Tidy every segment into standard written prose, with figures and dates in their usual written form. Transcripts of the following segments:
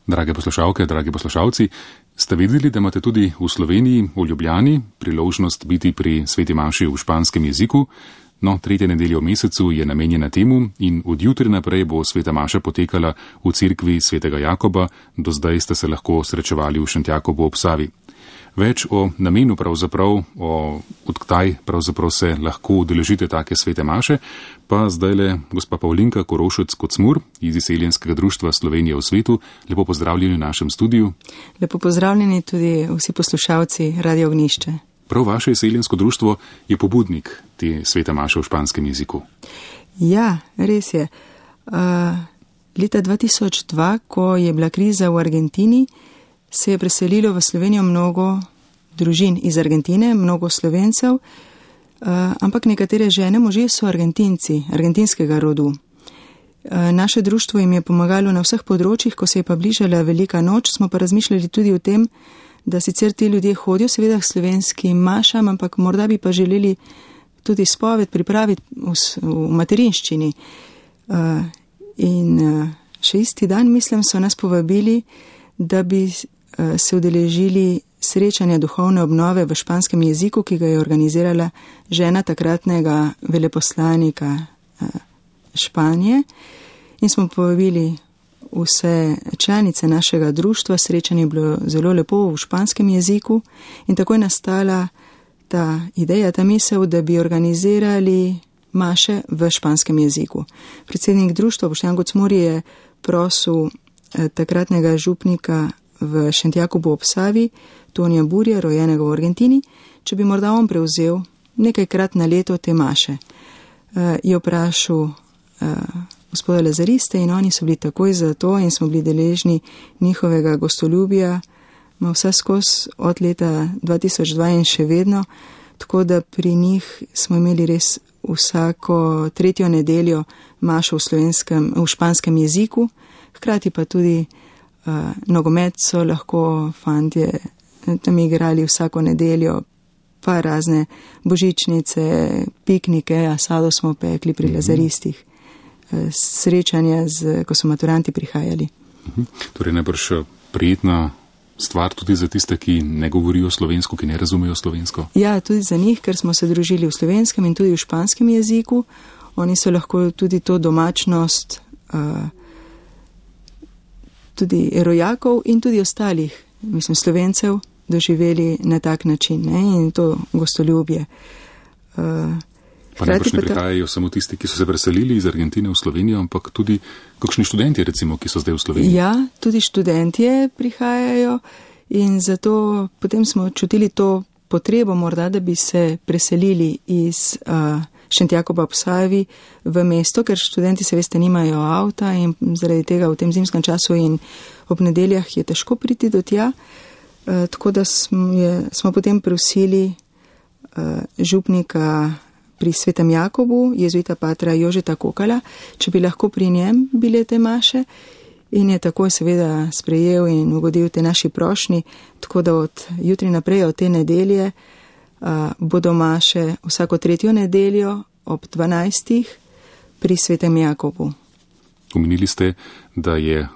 Drage poslušalke, dragi poslušalci, ste vedeli, da imate tudi v Sloveniji, v Ljubljani, priložnost biti pri sveti maši v španskem jeziku? No, 3. nedelja v mesecu je namenjena temu in od jutri naprej bo sveta maša potekala v cerkvi svetega Jakoba, do zdaj ste se lahko srečevali v Šentjakobu ob Savi. Več o namenu pravzaprav, odkdaj pravzaprav se lahko udeležite take svete maše, pa zdajle gospa Pavlinka Korošec-Kocmur iz Izseljenskega društva Slovenije v svetu. Lepo pozdravljeni v našem studiu. Lepo pozdravljeni tudi vsi poslušalci Radio Ognišče. Prav vaše Izseljensko društvo je pobudnik te svete maše v španskem jeziku. Ja, res je. Leta 2002, ko je bila kriza v Argentini, se je preselilo v Slovenijo mnogo družin iz Argentine, mnogo Slovencev, ampak nekatere žene, možje so Argentinci, argentinskega rodu. Naše društvo jim je pomagalo na vseh področjih, ko se je pa bližala velika noč, smo pa razmišljali tudi o tem, da sicer ti ljudje hodijo seveda k slovenskim mašam, ampak morda bi pa želeli tudi spoved pripraviti v materinščini. In še isti dan, mislim, so nas povabili, da bi se udeležili srečanja duhovne obnove v španskem jeziku, ki ga je organizirala žena takratnega veleposlanika Španije. In smo povabili vse članice našega društva, srečanje je bilo zelo lepo v španskem jeziku in tako je nastala ta ideja, ta misel, da bi organizirali maše v španskem jeziku. Predsednik društva Boštjan Kocmur je prosil takratnega župnika v Šentjakobu ob Savi, Tonija Burja, rojenega v Argentini, če bi morda on prevzel nekajkrat na leto te maše. Je vprašal gospoda Lazariste in oni so bili takoj za to in smo bili deležni njihovega gostoljubja, vse skozi od leta 2002 in še vedno, tako da pri njih smo imeli res vsako 3. nedeljo mašo v španskem jeziku, hkrati pa tudi nogomet so lahko fantje tam igrali vsako nedeljo, pa razne božičnice, piknike, asado smo pekli pri Lazaristih, srečanja, ko so maturanti prihajali. Torej najbrž prijetna stvar tudi za tiste, ki ne govorijo slovensko, ki ne razumejo slovensko? Ja, tudi za njih, ker smo se družili v slovenskem in tudi v španskem jeziku. Oni so lahko tudi to domačnost tudi rojakov in tudi ostalih, mislim, Slovencev, doživeli na tak način, ne? In to gostoljubje. Pa najbrž ne prihajajo samo tisti, ki so se preselili iz Argentine v Slovenijo, ampak tudi kakšni študenti, recimo, ki so zdaj v Sloveniji. Ja, tudi študentje prihajajo in zato potem smo čutili to potrebo morda, da bi se preselili iz Šentjakoba ob Savi v mesto, ker študenti se veste nimajo avta in zaradi tega v tem zimskem času in ob nedeljah je težko priti do tja. Tako da smo potem prosili župnika pri svetem Jakobu, jezuita patra Jožeta Kokala, če bi lahko pri njem bile te maše in je takoj seveda sprejel in ugodil te naši prošnji, tako da od jutri naprej, od te nedelje, bodo maše vsako 3. nedeljo ob 12. pri svetem Jakobu. Omenili ste, da je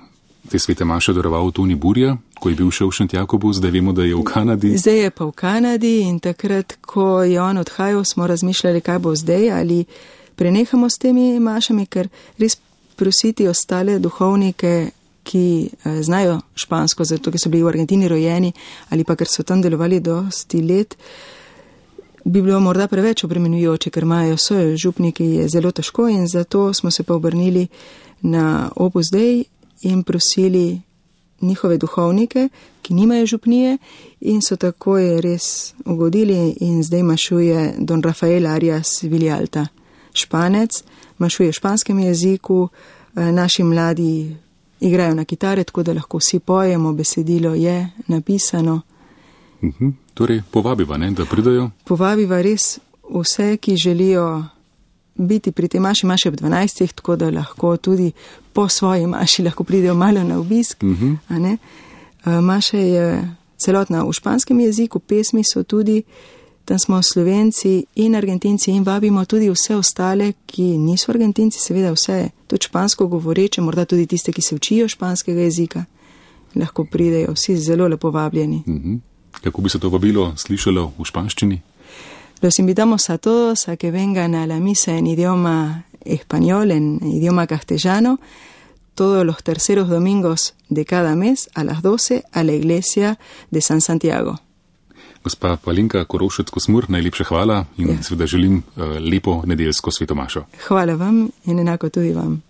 te svete maše daroval Toni Burja, ko je bil še v Šentjakobu, zdaj vemo, da je v Kanadi. Zdaj je pa v Kanadi in takrat, ko je on odhajal, smo razmišljali, kaj bo zdaj, ali prenehamo s temi mašami, ker res prositi ostale duhovnike, ki znajo špansko, zato ker so bili v Argentini rojeni ali pa ker so tam delovali dosti let, bi bilo morda preveč obremenjujoče, ker imajo svoje župniki, je zelo težko in zato smo se pa obrnili na Opus Dei in prosili njihove duhovnike, ki nimajo župnije in so takoj res ugodili in zdaj mašuje don Rafael Arias Villalta, Španec, mašuje v španskem jeziku, naši mladi igrajo na kitare, tako da lahko vsi pojemo, besedilo je napisano. Torej, povabiva, ne, da pridajo? Povabiva res vse, ki želijo biti pri tej maši ob 12, tako da lahko tudi po svoji maši lahko pridejo malo na obisk. A ne? Maša je celotna v španskem jeziku, pesmi so tudi, tam smo Slovenci in Argentinci in vabimo tudi vse ostale, ki niso Argentinci, seveda vse tudi špansko govoreče, morda tudi tiste, ki se učijo španskega jezika. lahko pridejo, vsi zelo lepo vabljeni. Kako bi se to vabilo slišalo v španščini? Los invitamos a todos a que vengan a la misa en idioma español, en idioma castellano, todos los terceros domingos de cada mes a las 12 a la iglesia de San Santiago. Gospa Alenka Korošec-Kosmur, najlepša hvala in seveda želim lepo nedeljsko svetomašo. Hvala vam in enako tudi vam.